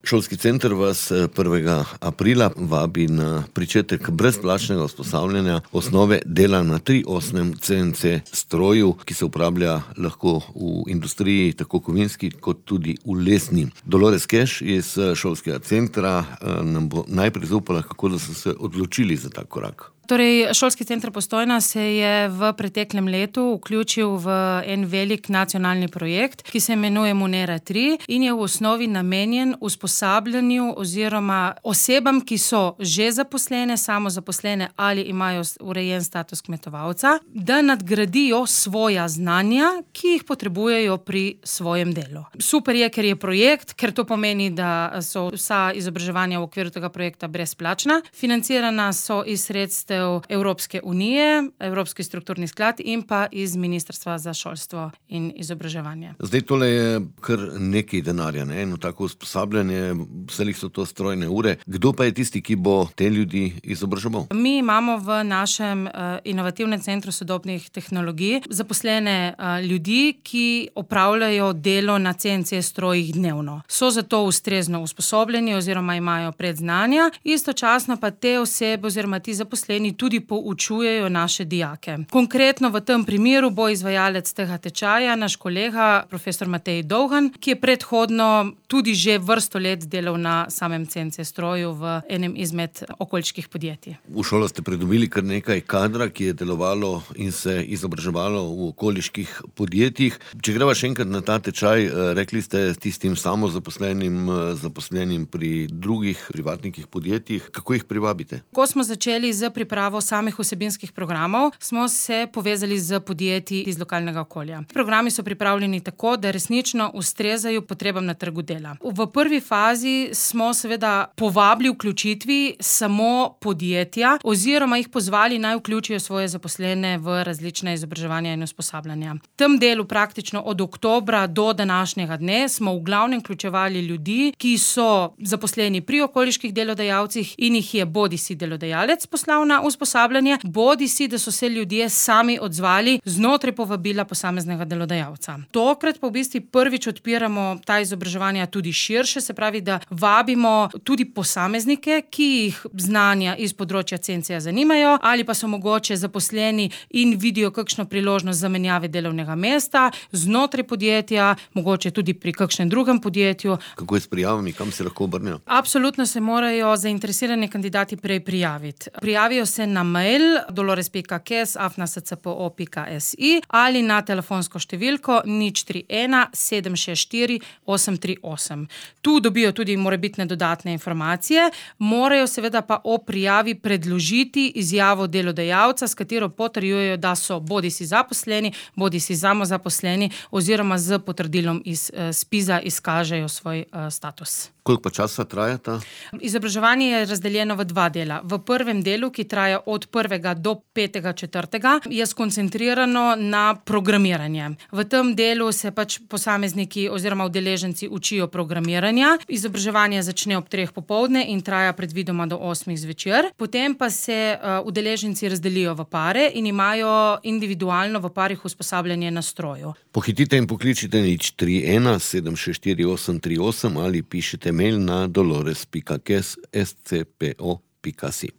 Šolski center vas 1. aprila vabi na pričetek brezplačnega usposabljanja osnove dela na 3-osnem CNC stroju, ki se uporablja lahko v industriji, tako kovinski kot tudi v lesni. Dolores Keš iz šolskega centra nam bo najprej zaupala, kako da so se odločili za ta korak. Torej, Šolski center Postojna se je v preteklem letu vključil v en velik nacionalni projekt, ki se imenuje Munera 3 in je v osnovi namenjen usposabljanju oziroma osebam, ki so že zaposlene, samozaposlene ali imajo urejen status kmetovalca, da nadgradijo svoja znanja, ki jih potrebujejo pri svojem delu. Super je, ker je projekt, ker to pomeni, da so vsa izobraževanja v okviru tega projekta brezplačna. Financirana so iz sredstev Evropske unije, Evropski strukturni sklad in pa iz Ministrstva za šolstvo in izobraževanje. Zdaj tole je kar nekaj denarja, ne? Eno tako usposabljanje, vselih so to strojne ure. Kdo pa je tisti, ki bo te ljudi izobraževal? Mi imamo v našem inovativnem centru sodobnih tehnologij zaposlene ljudi, ki opravljajo delo na CNC strojih dnevno. So zato ustrezno usposobljeni oziroma imajo predznanja, istočasno pa te osebe oziroma ti zaposleni tudi poučujejo naše dijake. Konkretno v tem primeru bo izvajalec tega tečaja naš kolega, profesor Matej Dolgan, ki je predhodno tudi že vrsto let delal na samem CNC stroju v enem izmed okoliških podjetij. V šolo ste pridobili kar nekaj kadra, ki je delovalo in se izobraževalo v okoliških podjetjih. Če greva še enkrat na ta tečaj, rekli ste tistim zaposlenim pri drugih privatnikih podjetjih, kako jih privabite? Ko smo začeli z pripravo samih vsebinskih programov, smo se povezali z podjetji iz lokalnega okolja. Programi so pripravljeni tako, da resnično ustrezajo potrebam na trgu dela. V prvi fazi smo seveda povabili vključitvi samo podjetja oziroma jih pozvali naj vključijo svoje zaposlene v različne izobraževanja in usposabljanja. V tem delu praktično od oktobra do današnjega dne smo v glavnem vključevali ljudi, ki so zaposleni pri okoliških delodajalcih in jih je bodisi delodajalec poslal na usposabljanje, bodisi, da so se ljudje sami odzvali znotraj povabila posameznega delodajalca. Tokrat pa v bistvu prvič odpiramo ta izobraževanja tudi širše, se pravi, da vabimo tudi posameznike, ki jih znanja iz področja CNC-ja zanimajo, ali pa so mogoče zaposleni in vidijo kakšno priložnost zamenjave delovnega mesta znotraj podjetja, mogoče tudi pri kakšnem drugem podjetju. Kako je s prijavami, kam se lahko obrnejo? Absolutno se morajo zainteresirani kandidati prej prijaviti. Prijavijo se na mail dolores.kes@scpo.si ali na telefonsko številko 031 764 838. Tu dobijo tudi morebitne dodatne informacije, morajo seveda pa o prijavi predložiti izjavo delodajalca, s katero potrjujejo, da so bodisi zaposleni, bodisi samozaposleni oziroma z potrdilom iz SPIZ-a izkažejo svoj status. Koliko pa časa traja ta? Izobraževanje je razdeljeno v dva dela. V prvem delu, ki traja od 1. do 5. 4., je skoncentrirano na programiranje. V tem delu se posamezniki oziroma udeleženci učijo programiranja. Izobraževanje začne ob 3. popoldne in traja predvidoma do 8. zvečer. Potem pa se udeleženci razdelijo v pare in imajo individualno v parih usposabljanje na stroju. Pohitite in pokličite 031 764 838 ali pišite mail na dolores.kes@scpo.si.